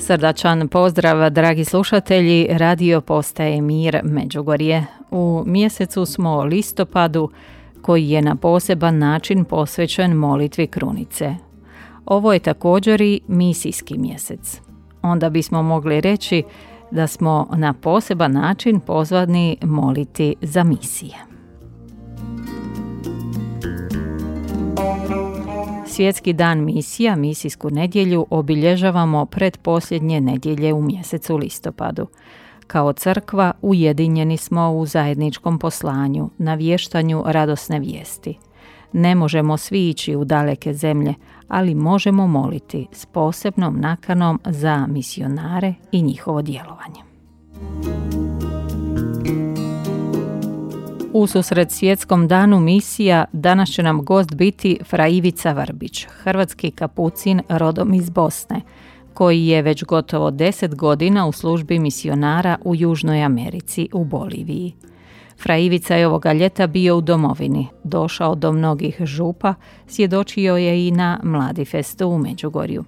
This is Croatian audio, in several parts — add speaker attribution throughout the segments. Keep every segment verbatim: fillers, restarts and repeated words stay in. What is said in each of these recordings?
Speaker 1: Srdačan pozdrav, dragi slušatelji, radio postaje Mir Međugorje. U mjesecu smo listopadu, koji je na poseban način posvećen molitvi krunice. Ovo je također i misijski mjesec. Onda bismo mogli reći da smo na poseban način pozvani moliti za misije. Svjetski dan misija, misijsku nedjelju, obilježavamo pretposljednje nedjelje u mjesecu listopadu. Kao crkva ujedinjeni smo u zajedničkom poslanju, navještanju radosne vijesti. Ne možemo svi ići u daleke zemlje, ali možemo moliti s posebnom nakanom za misionare i njihovo djelovanje. Ususret Svjetskom danu misija danas će nam gost biti fra Ivica Vrbić, hrvatski kapucin rodom iz Bosne, koji je već gotovo deset godina u službi misionara u Južnoj Americi, u Boliviji. Fra Ivica je ovoga ljeta bio u domovini, došao do mnogih župa, svjedočio je i na Mladi festu u Međugorju.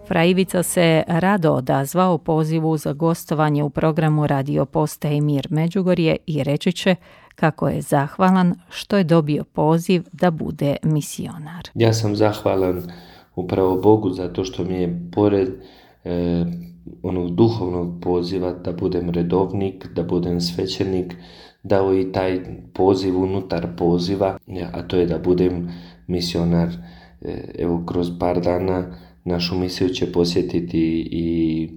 Speaker 1: Fra Ivica se rado odazvao pozivu za gostovanje u programu Radio postaje Mir Međugorje i reći će kako je zahvalan što je dobio poziv da bude misionar.
Speaker 2: Ja sam zahvalan upravo Bogu zato što mi je pored e, onog duhovnog poziva da budem redovnik, da budem svećenik, dao i taj poziv unutar poziva, a to je da budem misionar. E, evo kroz par dana našu misiju će posjetiti i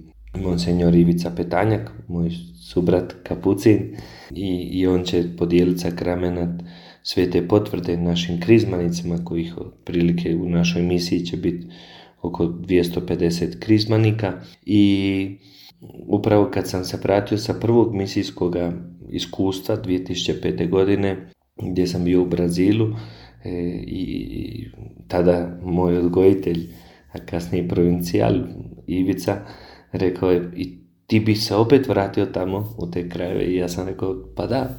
Speaker 2: monsenjor Ivica Petanjak, moj subrat kapucin, i, i on će podijeliti sakramenat svete potvrde našim krizmanicima, kojih otprilike u našoj misiji će biti oko dvjesto pedeset krizmanika. I upravo kad sam se vratio sa prvog misijskog iskustva dvije tisuće pete. godine, gdje sam bio u Brazilu, e, i tada moj odgojitelj, a kasnije provincijal Ivica, rekao je: i ti bi se opet vratio tamo u te krajeve? I ja sam rekao: pa da.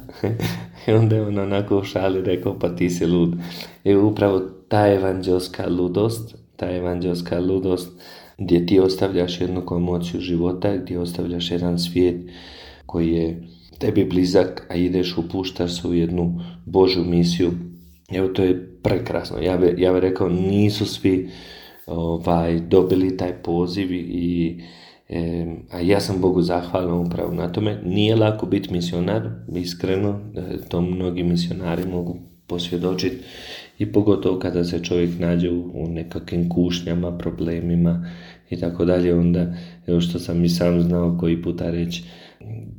Speaker 2: I onda je on onako u šali rekao: pa ti si lud. I upravo ta evanđelska ludost, ta evanđelska ludost gdje ti ostavljaš jednu komociju života, gdje ostavljaš jedan svijet koji je tebi blizak, a ideš, upuštaš se u jednu Božju misiju. Evo, to je prekrasno. Ja bih ja bi rekao, nisu svi ovaj, dobili taj poziv i e, a ja sam Bogu zahvalan upravo na tome. Nije lako biti misionar, iskreno, to mnogi misionari mogu posvjedočiti, i pogotovo kada se čovjek nađe u, u nekakvim kušnjama, problemima i tako dalje, onda, evo što sam i sam znao koji puta reći,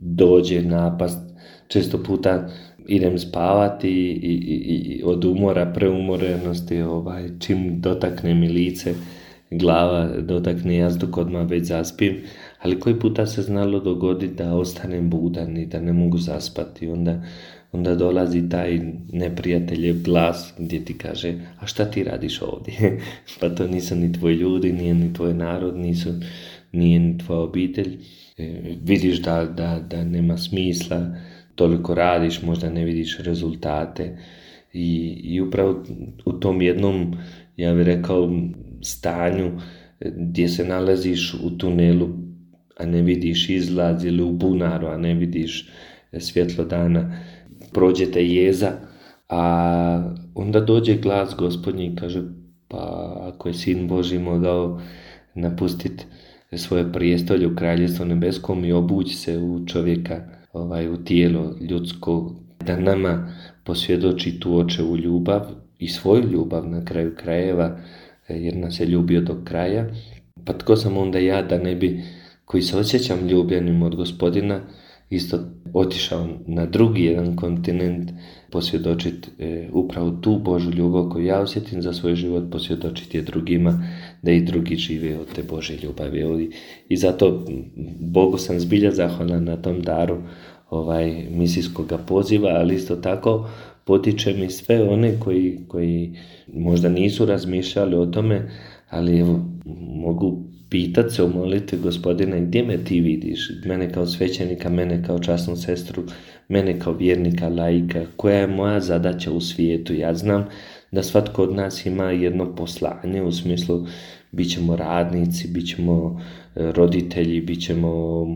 Speaker 2: dođe napast, često puta idem spavati i, i, i od umora, preumorenosti, ovaj, čim dotakne mi lice, glava dotakne jazduk, odmah već zaspim, ali koji puta se znalo dogoditi da ostanem budan i da ne mogu zaspati. Onda, onda dolazi taj neprijateljev glas gdje ti kaže: a šta ti radiš ovdje? Pa to nisu ni tvoji ljudi, nije ni tvoj narod, nisu, nije ni tvoja obitelj. E, vidiš da, da, da nema smisla, toliko radiš, možda ne vidiš rezultate. I, i upravo u tom jednom, ja bih rekao, stanju gdje se nalaziš u tunelu, a ne vidiš izlaz, ili u bunaru, a ne vidiš svjetlo dana, prođe te jeza, a onda dođe glas Gospodnji i kaže: pa ako je Sin Božji mogao napustiti svoje prijestolje u Kraljevstvu nebeskom i obući se u čovjeka, ovaj, u tijelo ljudsko, da nama posvjedoči tu očevu ljubav i svoju ljubav na kraju krajeva, jer nas je ljubio do kraja, pa tko sam onda ja da ne bi, koji se osjećam ljubljenim od Gospodina, isto otišao na drugi jedan kontinent posvjedočiti e, upravo tu Božju ljubav koju ja osjetim za svoj život, posvjedočiti je drugima, da i drugi žive od te Božje ljubavi. I zato Bogu sam zbilja zahvalan na tom daru ovaj, misijskog poziva, ali isto tako potiče mi sve one koji, koji možda nisu razmišljali o tome, ali evo, mogu pitati se u molitvi: Gospodine, gdje me ti vidiš? Mene kao svećenika, mene kao časnu sestru, mene kao vjernika, laika, koja je moja zadaća u svijetu? Ja znam da svatko od nas ima jedno poslanje, u smislu bit ćemo radnici, bit ćemo roditelji, bit ćemo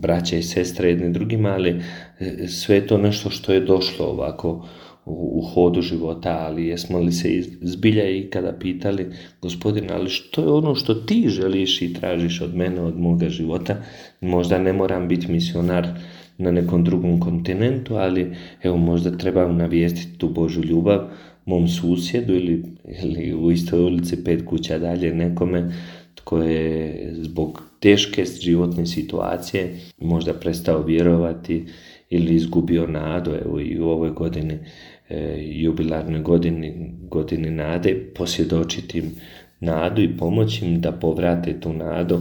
Speaker 2: braća i sestre jedni drugima, ali sve je to nešto što je došlo ovako u, u hodu života, ali jesmo li se zbilja i kada pitali, Gospodine, ali što je ono što ti želiš i tražiš od mene, od moga života? Možda ne moram biti misionar na nekom drugom kontinentu, ali evo možda trebam navijestiti tu Božju ljubav mom susjedu ili, ili u istoj ulici pet kuća dalje nekome tko je zbog teške životne situacije možda prestao vjerovati ili izgubio nadu. Evo i u ovoj godini, e, jubilarnoj godini, godini nade, posvjedočiti im nadu i pomoći im da povrate tu nadu,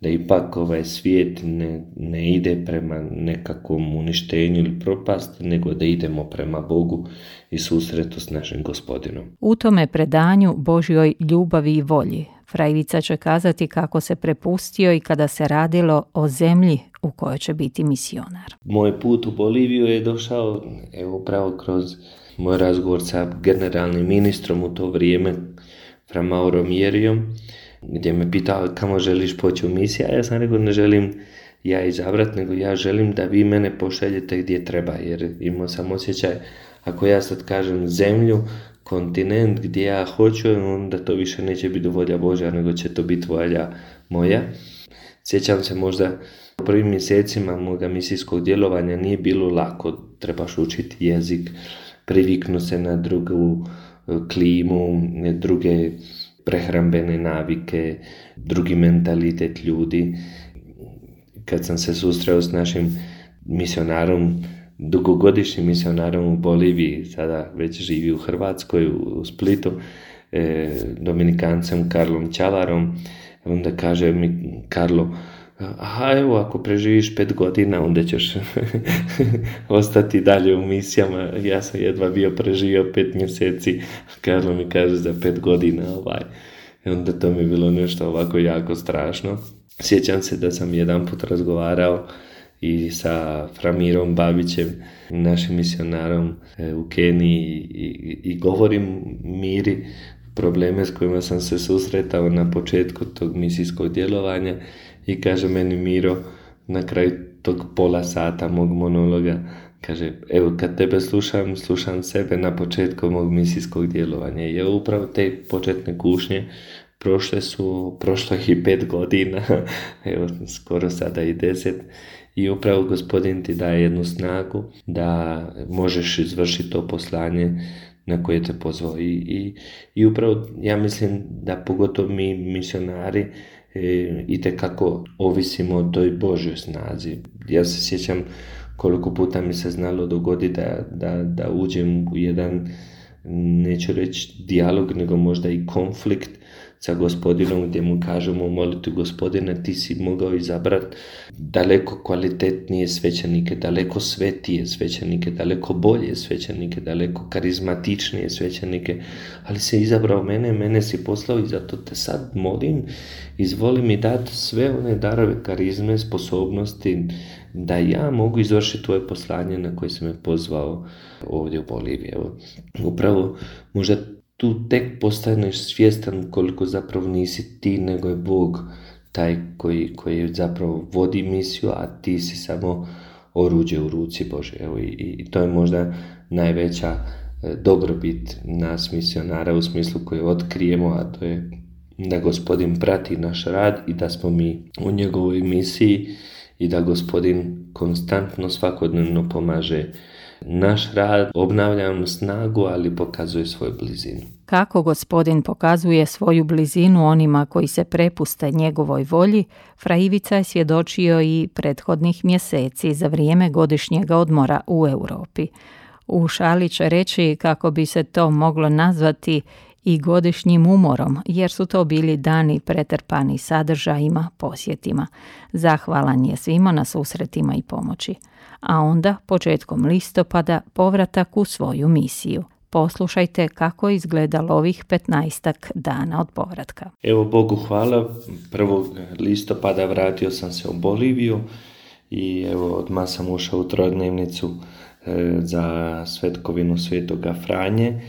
Speaker 2: da ipak ovaj svijet ne, ne ide prema nekakvom uništenju ili propasti, nego da idemo prema Bogu i susretu s našim Gospodinom.
Speaker 1: U tome predanju Božjoj ljubavi i volji fra Ivica će kazati kako se prepustio i kada se radilo o zemlji u kojoj će biti misionar.
Speaker 2: Moj put u Boliviju je došao evo upravo kroz moj razgovor sa generalnim ministrom u to vrijeme, fra Mauro Mjerijom, gdje me pitao kamo želiš poći u misiju, a ja sam rekao ne želim ja izabrat, nego ja želim da vi mene pošaljete gdje treba, jer imao sam osjećaj, ako ja sad kažem zemlju, kontinent gdje ja hoću, onda to više neće biti volja Božja, nego će to biti volja moja. Sjećam se možda u prvim mjesecima moga misijskog djelovanja nije bilo lako, trebaš učiti jezik, priviknu se na drugu klimu, druge prehrambene navike, drugi mentalitet ljudi. Kad sam se susreo s našim misionarom, dugogodišnjim misionarom u Boliviji, sada već živi u Hrvatskoj, u Splitu, eh, Dominikancem Karlom Čavarom, onda kaže mi Karlo, aha, evo, ako preživiš pet godina, onda ćeš ostati dalje u misijama. Ja sam jedva bio preživio pet mjeseci, Karlo mi kaže za pet godina, ovaj. I onda to mi je bilo nešto ovako jako strašno. Sjećam se da sam jedan put razgovarao i sa Framirom Babićem, našim misionarom u Keniji, i, i govorim Miri probleme s kojima sam se susretao na početku tog misijskog djelovanja i kaže meni Miro na kraju tog pola sata mog monologa, kaže, evo kad tebe slušam, slušam sebe na početku mog misijskog djelovanja. I evo upravo te početne kušnje prošle su, prošlo i pet godina, evo skoro sada i deset. I upravo Gospodin ti daje jednu snagu da možeš izvršiti to poslanje na koje te pozvao. I, i, i upravo ja mislim da pogotovo mi misionari e, itekako ovisimo o toj Božjoj snazi. Ja se sjećam koliko puta mi se znalo dogoditi da, da, da uđem u jedan, neću reći dijalog, nego možda i konflikt sa Gospodinom, gdje mu kažemo u molitvi, Gospodine, ti si mogao izabrati daleko kvalitetnije svećenike, daleko svetije svećenike, daleko bolje svećenike, daleko karizmatičnije svećenike, ali si izabrao mene, mene si poslao i zato te sad molim, izvoli mi dati sve one darove, karizme, sposobnosti, da ja mogu izvršiti tvoje poslanje na koje si me pozvao ovdje u Boliviji. Evo, upravo možda tu tek postaneš svjestan koliko zapravo nisi ti, nego je Bog taj koji, koji zapravo vodi misiju, a ti si samo oruđe u ruci Bože. Evo, i, i to je možda najveća dobrobit nas misionara u smislu koji otkrijemo, a to je da Gospodin prati naš rad i da smo mi u njegovoj misiji i da Gospodin konstantno svakodnevno pomaže naš rad, obnavlja nam snagu, ali pokazuje svoju blizinu.
Speaker 1: Kako Gospodin pokazuje svoju blizinu onima koji se prepuste njegovoj volji, fra Ivica je svjedočio i prethodnih mjeseci za vrijeme godišnjeg odmora u Europi. U šali će reći kako bi se to moglo nazvati i godišnjim umorom, jer su to bili dani pretrpani sadržajima, posjetima. Zahvalan je svima na susretima i pomoći. A onda, početkom listopada, povratak u svoju misiju. Poslušajte kako je izgledalo ovih petnaestak dana od povratka.
Speaker 2: Evo Bogu hvala, prvog listopada vratio sam se u Boliviju i evo odmah sam ušao u trojdnevnicu e, za svetkovinu Svetoga Franje.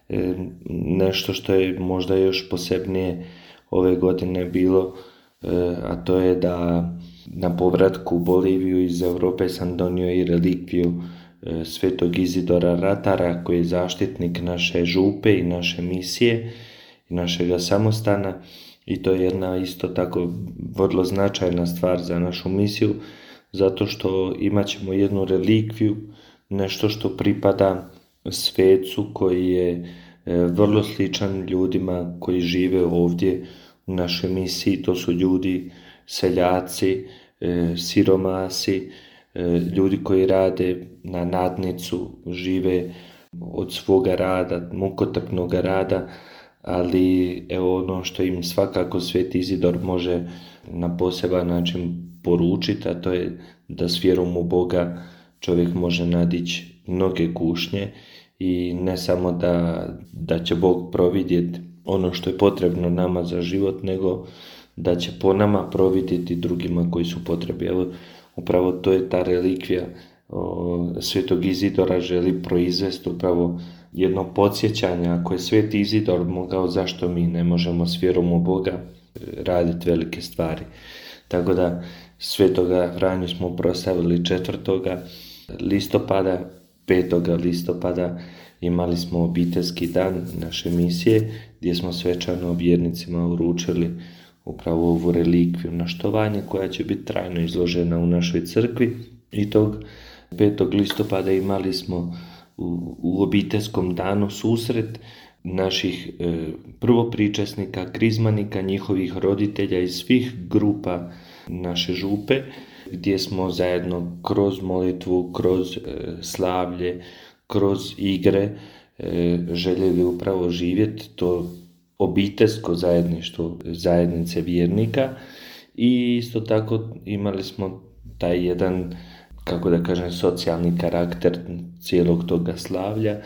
Speaker 2: E, nešto što je možda još posebnije ove godine bilo, e, a to je da na povratku u Boliviju iz Europe sam donio i relikviju e, svetog Izidora Ratara, koji je zaštitnik naše župe i naše misije i našega samostana, i to je jedna isto tako vrlo značajna stvar za našu misiju, zato što imat ćemo jednu relikviju, nešto što pripada svecu koji je e, vrlo sličan ljudima koji žive ovdje u našoj misiji. To su ljudi, seljaci, e, siromasi, e, ljudi koji rade na nadnicu, žive od svoga rada, mukotrpnog rada, ali evo ono što im svakako Sveti Izidor može na poseban način poručiti, a to je da s vjerom u Boga čovjek može nadići mnoge kušnje i ne samo da, da će Bog providjeti ono što je potrebno nama za život, nego da će po nama providjeti drugima koji su potrebi. Evo, upravo to je ta relikvija o, Svetog Izidora želi proizvesti upravo jedno podsjećanje. Ako je Sveti Izidor mogao, zašto mi ne možemo s vjerom u Boga raditi velike stvari? Tako da Svetoga Franju smo proslavili četvrtoga listopada, petoga listopada imali smo obiteljski dan naše misije gdje smo svečano vjernicima uručili upravo ovu relikviju na štovanje koja će biti trajno izložena u našoj crkvi. I tog petog listopada imali smo u, u obiteljskom danu susret naših e, prvopričesnika, krizmanika, njihovih roditelja iz svih grupa naše župe, gdje smo zajedno kroz molitvu, kroz e, slavlje, kroz igre e, željeli upravo živjeti to obiteljsko zajedništvo zajednice vjernika. I isto tako imali smo taj jedan, kako da kažem, socijalni karakter cijelog toga slavlja.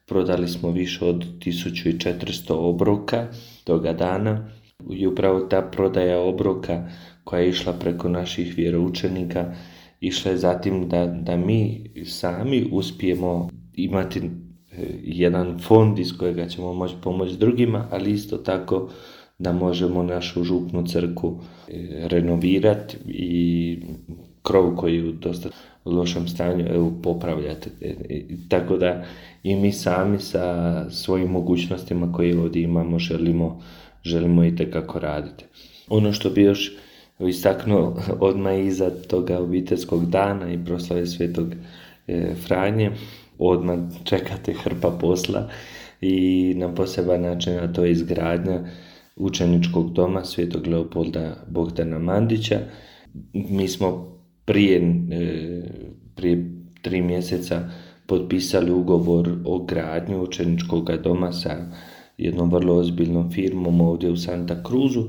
Speaker 2: Prodali smo više od tisuću četiristo obroka toga dana i upravo ta prodaja obroka koja je išla preko naših vjeroučenika išla je zatim da, da mi sami uspijemo imati jedan fond iz kojega ćemo moći pomoći drugima, ali isto tako da možemo našu župnu crkvu renovirati i krov koji je u dosta lošem stanju evo, popravljati. Tako da i mi sami sa svojim mogućnostima koje ovdje imamo želimo, želimo itekako raditi. Ono što bi još istaknuo odmah iza toga obiteljskog dana i proslave Svetog Franje, odmah čekate hrpa posla i na poseban način, a to je izgradnja učeničkog doma Svetog Leopolda Bogdana Mandića. Mi smo prije, prije tri mjeseca potpisali ugovor o gradnju učeničkog doma sa jednom vrlo ozbiljnom firmom ovdje u Santa Cruzu.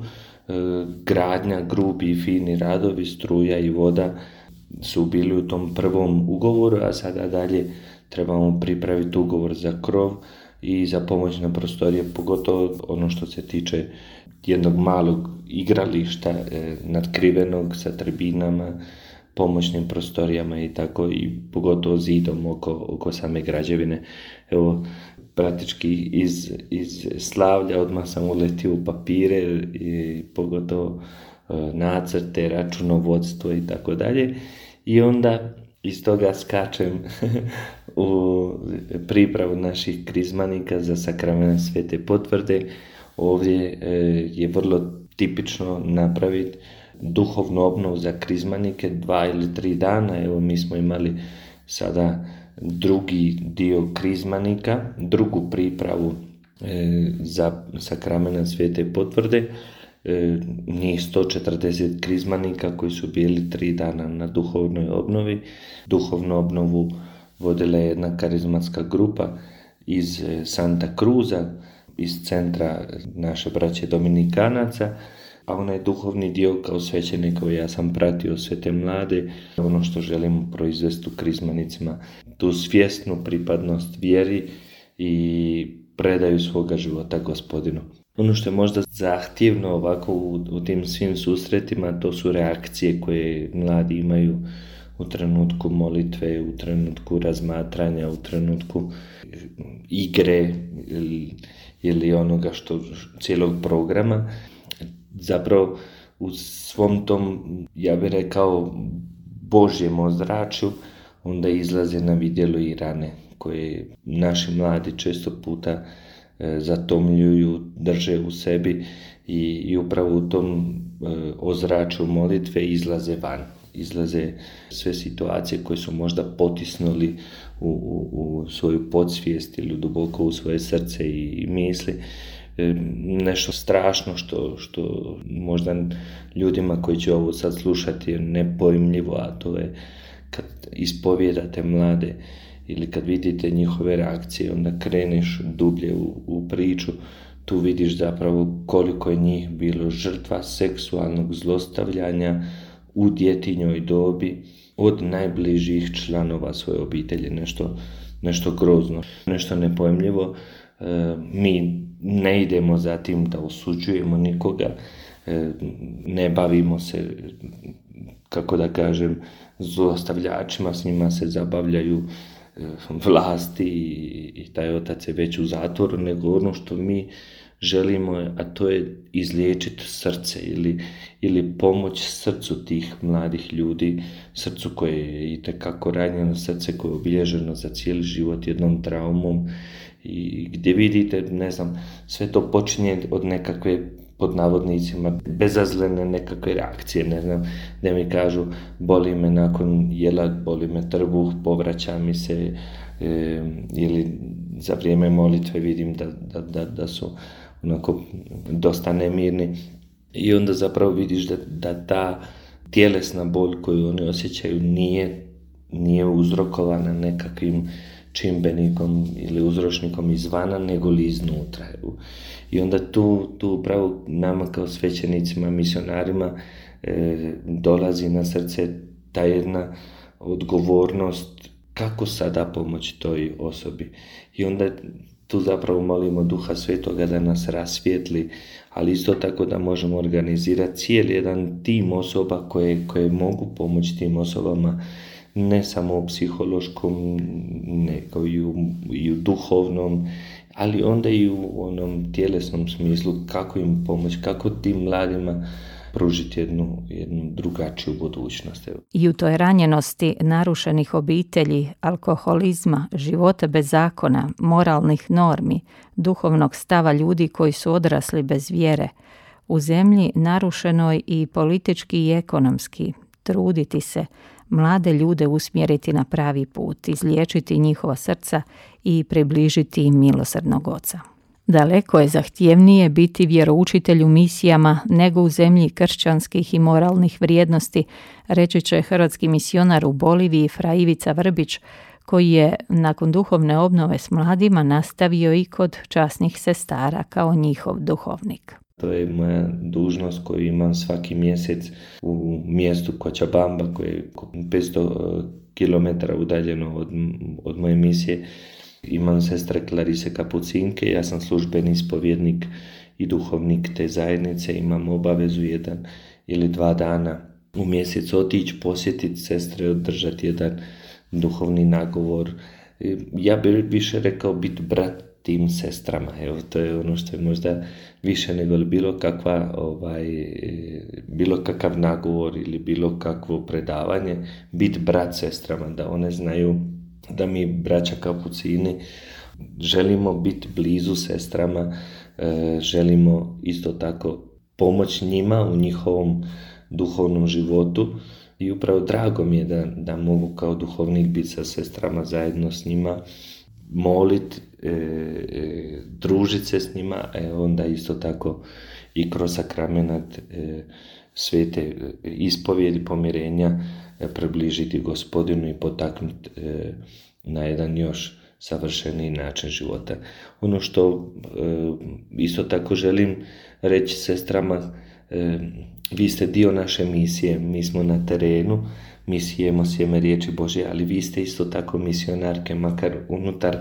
Speaker 2: Gradnja, grubi i fini radovi, struja i voda su bili u tom prvom ugovoru, a sada dalje trebamo pripraviti ugovor za krov i za pomoćne prostorije, pogotovo ono što se tiče jednog malog igrališta e, nadkrivenog sa tribinama, pomoćnim prostorijama i tako, i pogotovo zidom oko, oko same građevine. Evo, praktički iz, iz slavlja odmah sam uletio u papire i pogotovo e, nacrte, računovodstvo i tako dalje. I onda iz toga skačem u pripravu naših krizmanika za sakrament Svete potvrde. Ovdje e, je vrlo tipično napraviti duhovnu obnovu za krizmanike dva ili tri dana. Evo, mi smo imali sada drugi dio krizmanika, drugu pripravu e, za sakrament Svete potvrde. E, njih sto četrdeset krizmanika koji su bili tri dana na duhovnoj obnovi. Duhovnu obnovu vodila je jedna karizmatska grupa iz Santa Cruza, iz centra naše braće Dominikanaca, a onaj duhovni dio kao svećenik, ja sam pratio sve te mlade, ono što želimo proizvesti u krizmanicima, tu svjesnu pripadnost vjeri i predaju svoga života Gospodinu. Ono što je možda zahtjevno ovako u, u tim svim susretima, to su reakcije koje mladi imaju u trenutku molitve, u trenutku razmatranja, u trenutku igre ili, ili onoga što cijelog programa. Zapravo u svom tom, ja bih rekao, Božjem ozračju onda izlaze na vidjelo i rane koje naši mladi često puta e, zatomljuju, drže u sebi i, i upravo u tom e, ozračju molitve izlaze van. Izlaze sve situacije koje su možda potisnuli u, u, u svoju podsvijest ili duboko u svoje srce i, i misli. E, nešto strašno što, što možda ljudima koji će ovo sad slušati je nepojmljivo, a to je kad ispovijedate mlade ili kad vidite njihove reakcije, onda kreneš dublje u, u priču, tu vidiš zapravo koliko je njih bilo žrtva seksualnog zlostavljanja u djetinjoj dobi od najbližih članova svoje obitelji. Nešto, nešto grozno, nešto nepojmljivo. E, mi ne idemo za tim da osuđujemo nikoga, e, ne bavimo se, kako da kažem, zlostavljačima, s njima se zabavljaju e, vlasti i, i taj otac je već u zatvoru, nego ono što mi želimo, a to je izliječiti srce ili, ili pomoć srcu tih mladih ljudi, srcu koje je itekako ranjeno, srce koje je obilježeno za cijeli život jednom traumom i gdje vidite, ne znam, sve to počinje od nekakve, pod navodnicima, bezazlene nekakve reakcije, ne znam, gdje mi kažu boli me nakon jela, boli me trbuh, povraća mi se e, ili za vrijeme molitve vidim da, da, da, da su onako dosta nemirni i onda zapravo vidiš da, da ta tjelesna bol koju oni osjećaju nije, nije uzrokovana nekakvim čimbenikom ili uzročnikom izvana, nego li iznutra. I onda tu, tu upravo nama kao svećenicima, misionarima e, dolazi na srce ta jedna odgovornost kako sada pomoći toj osobi. I onda tu zapravo molimo Duha Svetoga da nas rasvijetli, ali isto tako da možemo organizirati cijeli jedan tim osoba koje, koje mogu pomoći tim osobama, ne samo u psihološkom, nego i u, i u duhovnom, ali onda i u onom tjelesnom smislu, kako im pomoći, kako tim mladima pružiti jednu, jednu drugačiju budućnost.
Speaker 1: I u toj ranjenosti narušenih obitelji, alkoholizma, života bez zakona, moralnih normi, duhovnog stava ljudi koji su odrasli bez vjere, u zemlji narušenoj i politički i ekonomski, truditi se, mlade ljude usmjeriti na pravi put, izliječiti njihova srca i približiti im milosrdnog Oca. Daleko je zahtjevnije biti vjeroučitelj u misijama nego u zemlji kršćanskih i moralnih vrijednosti, reći će hrvatski misionar u Boliviji Fra Ivica Vrbić, koji je nakon duhovne obnove s mladima nastavio i kod časnih sestara kao njihov duhovnik.
Speaker 2: To je moja dužnost koju imam svaki mjesec u mjestu Cochabamba, koje je petsto kilometara udaljeno od, od moje misije. Imam sestre Klarise Kapucinke, ja sam službeni ispovjednik i duhovnik te zajednice, imam obavezu jedan ili dva dana u mjesec otići, posjetiti sestre, održati jedan duhovni nagovor. Ja bih više rekao biti brat tim sestrama, evo to je ono što je možda više nego bilo kakva ovaj, bilo kakav nagovor ili bilo kakvo predavanje, biti brat sestrama, da one znaju da mi, braća Kapucini, želimo biti blizu sestrama, želimo isto tako pomoći njima u njihovom duhovnom životu i upravo drago mi je da, da mogu kao duhovnik biti sa sestrama zajedno s njima, molit, e, e, družiti se s njima, e, onda isto tako i kroz sakramenat e, svete ispovjedi pomirenja e, približiti Gospodinu i potaknuti e, na jedan još savršeniji način života. Ono što e, isto tako želim reći sestrama, e, vi ste dio naše misije, mi smo na terenu, mi sijemo sjeme riječi Božje, ali vi ste isto tako misionarke, makar unutar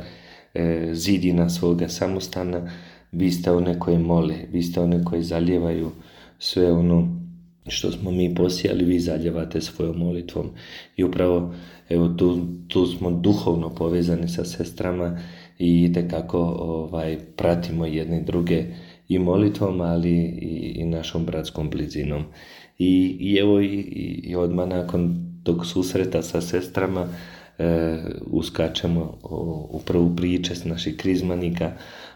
Speaker 2: e, zidina svoga samostana, vi ste one koje mole, vi ste one koje zalijevaju sve ono što smo mi posijali, vi zaljevate svojom molitvom. I upravo evo, tu, tu smo duhovno povezani sa sestrama i itekako ovaj, pratimo jedne druge i molitvom, ali i, i našom bratskom blizinom. I, i evo i, i odmah nakon tog susreta sa sestrama e, uskačemo u, u prvu priče s naših krizmanika,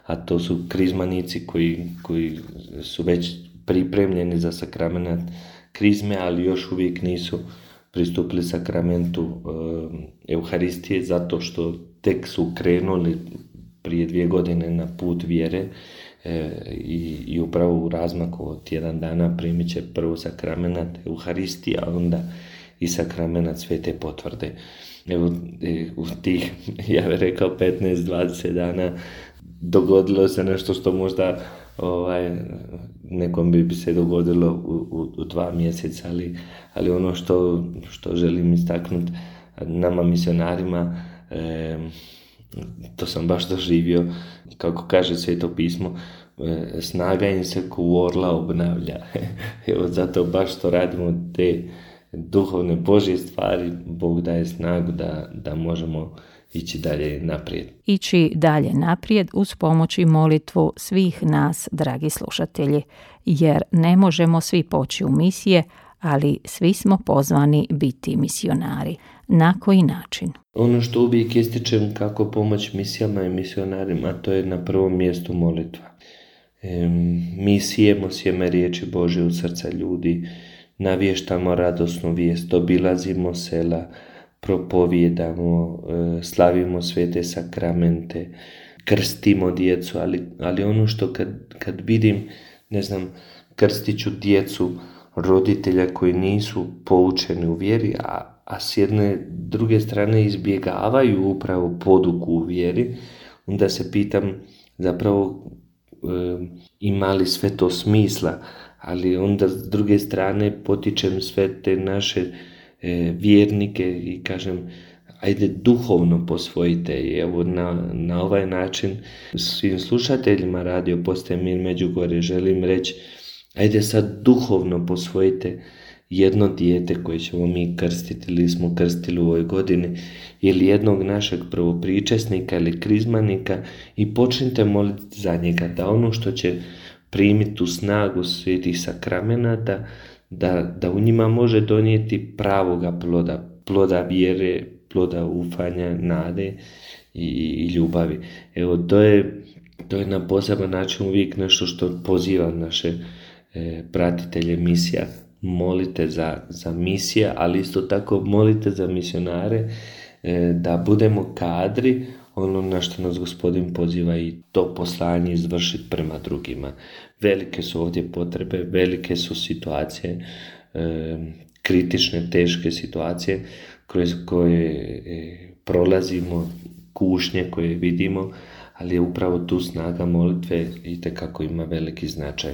Speaker 2: a to su krizmanici koji, koji su već pripremljeni za sakramenat krizme, ali još uvijek nisu pristupili sakramentu e, Euharistije, zato što tek su krenuli prije dvije godine na put vjere e, i, i upravo u razmaku od tjedan dana primit će prvo sakramenat Euharistije, a onda i sakramenat Svete potvrde. Evo, e, u tih, ja bih rekao, petnaest do dvadeset dana dogodilo se nešto što možda ovaj, nekom bi se dogodilo u, u, u dva mjeseca, ali, ali ono što, što želim istaknuti nama misionarima, e, to sam baš doživio, kako kaže Sveto pismo, e, snaga im se ko orla obnavlja. Evo, zato baš što radimo te duhovne Božje stvari, Bog daje snagu da, da možemo ići dalje naprijed.
Speaker 1: Ići dalje naprijed uz pomoć i molitvu svih nas, dragi slušatelji, jer ne možemo svi poći u misije, ali svi smo pozvani biti misionari. Na koji način?
Speaker 2: Ono što uvijek ističem kako pomoć misijama i misionarima, to je na prvom mjestu molitva. E, mi sijemo sjeme riječi Božje u srca ljudi, navještamo radosnu vijest, obilazimo sela, propovijedamo, slavimo svete sakramente, krstimo djecu, ali, ali ono što kad, kad vidim, ne znam, krstit ću djecu roditelja koji nisu poučeni u vjeri, a, a s jedne druge strane izbjegavaju upravo poduku u vjeri, onda se pitam zapravo e, ima li sve to smisla, ali onda s druge strane potičem sve te naše e, vjernike i kažem ajde duhovno posvojite. I evo na, na ovaj način svim slušateljima Radio Postaje Mir Međugorje želim reći ajde sad duhovno posvojite jedno dijete koje ćemo mi krstiti ili smo krstili u ovoj godini ili jednog našeg prvopričesnika ili krizmanika i počnite moliti za njega da ono što će primiti tu snagu svetih sakramenata, da, da u njima može donijeti pravoga ploda, ploda vjere, ploda ufanja, nade i, i ljubavi. Evo, to je, to je na poseban način uvijek nešto što poziva naše e, pratitelje misija. Molite za, za misije, ali isto tako molite za misionare, e, da budemo kadri ono na što nas Gospodin poziva i to poslanje izvršiti prema drugima. Velike su ovdje potrebe, velike su situacije, e, kritične, teške situacije kroz koje e, prolazimo, kušnje koje vidimo, ali je upravo tu snaga molitve itekako ima veliki značaj.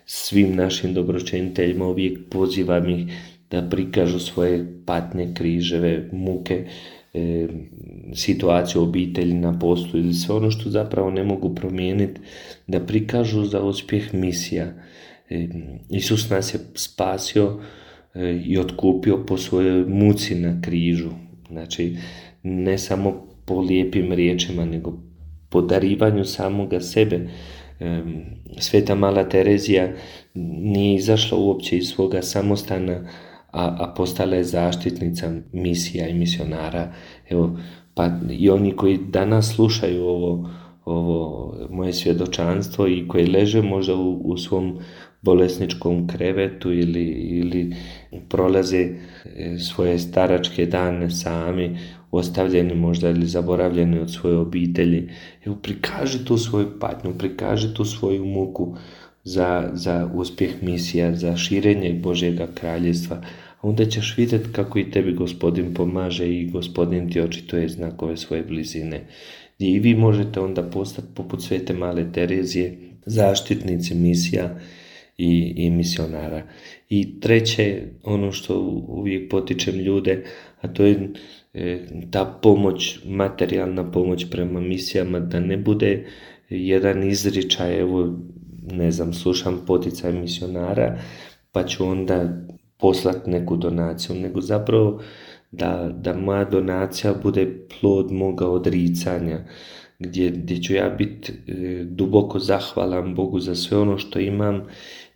Speaker 2: Svim našim dobročiniteljima uvijek pozivam ih da prikažu svoje patnje, križeve, muke, e, situaciju obitelji na poslu ili sve ono što zapravo ne mogu promijeniti, da prikažu za uspjeh misija. E, Isus nas je spasio e, i otkupio po svojoj muci na križu. Znači, ne samo po lijepim riječima, nego po darivanju samoga sebe. E, Sveta Mala Terezija nije izašla uopće iz svoga samostana, a, a postala je zaštitnica misija i misionara. Evo, pa i oni koji danas slušaju ovo, ovo moje svjedočanstvo i koji leže možda u, u svom bolesničkom krevetu ili, ili prolaze svoje staračke dane sami, ostavljeni možda ili zaboravljeni od svoje obitelji. Evo, prikaži tu svoju patnju, prikaži tu svoju muku za, za uspjeh misija, za širenje Božjega kraljevstva. A onda ćeš vidjeti kako i tebi Gospodin pomaže i Gospodin ti očituje znakove svoje blizine. I vi možete onda postati poput Svete Male Terezije, zaštitnici misija i, i misionara. I treće, ono što uvijek potičem ljude, a to je e, ta pomoć, materijalna pomoć prema misijama, da ne bude jedan izričaj, evo, ne znam, slušam poticaj misionara, pa ću onda poslati neku donaciju, nego zapravo da, da moja donacija bude plod moga odricanja, gdje, gdje ću ja biti e, duboko zahvalan Bogu za sve ono što imam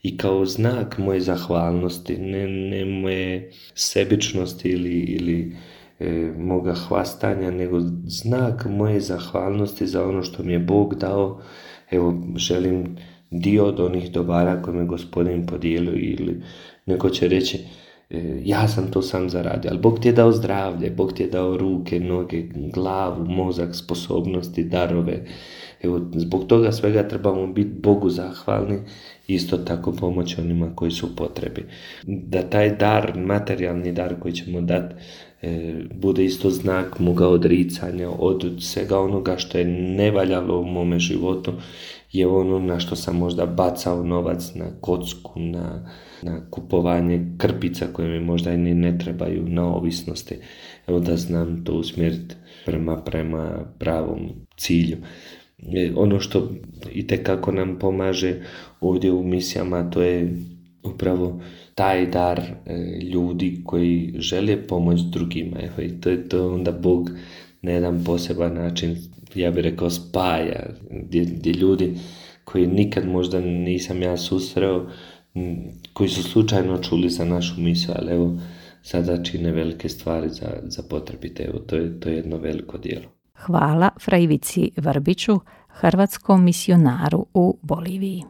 Speaker 2: i kao znak moje zahvalnosti, ne, ne moje sebičnosti ili, ili e, moga hvastanja, nego znak moje zahvalnosti za ono što mi je Bog dao. Evo, želim dio od onih dobara koje mi Gospodin podijelio, ili neko će reći ja sam to sam zaradio, ali Bog ti je dao zdravlje, Bog ti je dao ruke, noge, glavu, mozak, sposobnosti, darove. Evo, zbog toga svega trebamo biti Bogu zahvalni, isto tako pomoći onima koji su u potrebi. Da taj dar, materijalni dar koji ćemo dati, e, bude isto znak moga odricanja od svega onoga što je nevaljalo u mome životu, je ono na što sam možda bacao novac, na kocku, na, na kupovanje krpica koje mi možda i ni ne trebaju, na ovisnosti. Evo, da znam to usmjeriti prema, prema pravom cilju. E, ono što itekako nam pomaže ovdje u misijama, to je upravo taj dar e, ljudi koji žele pomoći drugima. Evo, i to je to onda Bog na jedan poseban način, ja bih rekao, spaja, gdje, gdje ljudi koji nikad možda nisam ja susreo, koji su slučajno čuli za našu misiju, ali evo, sada čine velike stvari za, za potrebite. Evo, to je, to je jedno veliko djelo.
Speaker 1: Hvala fra Ivici Vrbiću, hrvatskom misionaru u Boliviji.